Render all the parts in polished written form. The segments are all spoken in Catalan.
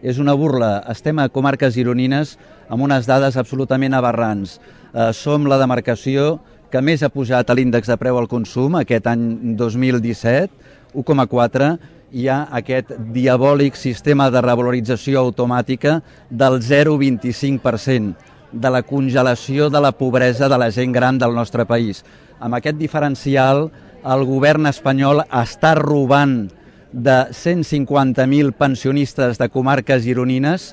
és una burla. Estem a comarques gironines amb unes dades absolutament aberrants. Som la demarcació que més ha pujat a l'índex de preu al consum aquest any 2017, 1,4, hi ha aquest diabòlic sistema de revalorització automàtica del 0,25%, de la congelació de la pobresa de la gent gran del nostre país. Amb aquest diferencial, el govern espanyol està robant de 150.000 pensionistes de comarques gironines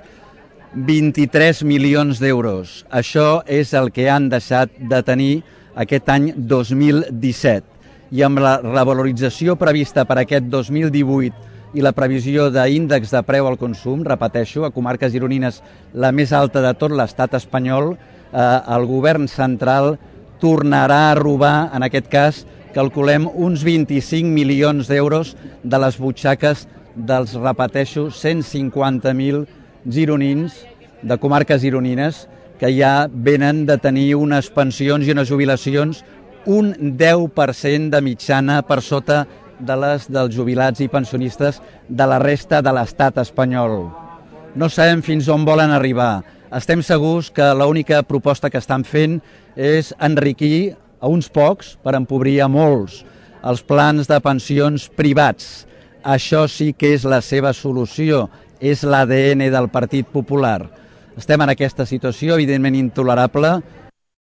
23 milions d'euros. Això és el que han deixat de tenir aquest any 2017. I amb la revalorització prevista per aquest 2018 i la previsió d'índex de preu al consum, repeteixo, a comarques gironines la més alta de tot l'estat espanyol, el govern central tornarà a robar, en aquest cas, calculem uns 25 milions d'euros de les butxaques dels, repeteixo, 150.000 gironins de comarques gironines que ja venen de tenir unes pensions i unes jubilacions un 10% de mitjana per sota de les dels jubilats i pensionistes de la resta de l'estat espanyol. No sabem fins on volen arribar. Estem segurs que l'única proposta que estan fent és enriquir a uns pocs per empobrir a molts. Els plans de pensions privats. Això sí que és la seva solució, és l'ADN del Partit Popular. Estem en aquesta situació evidentment intolerable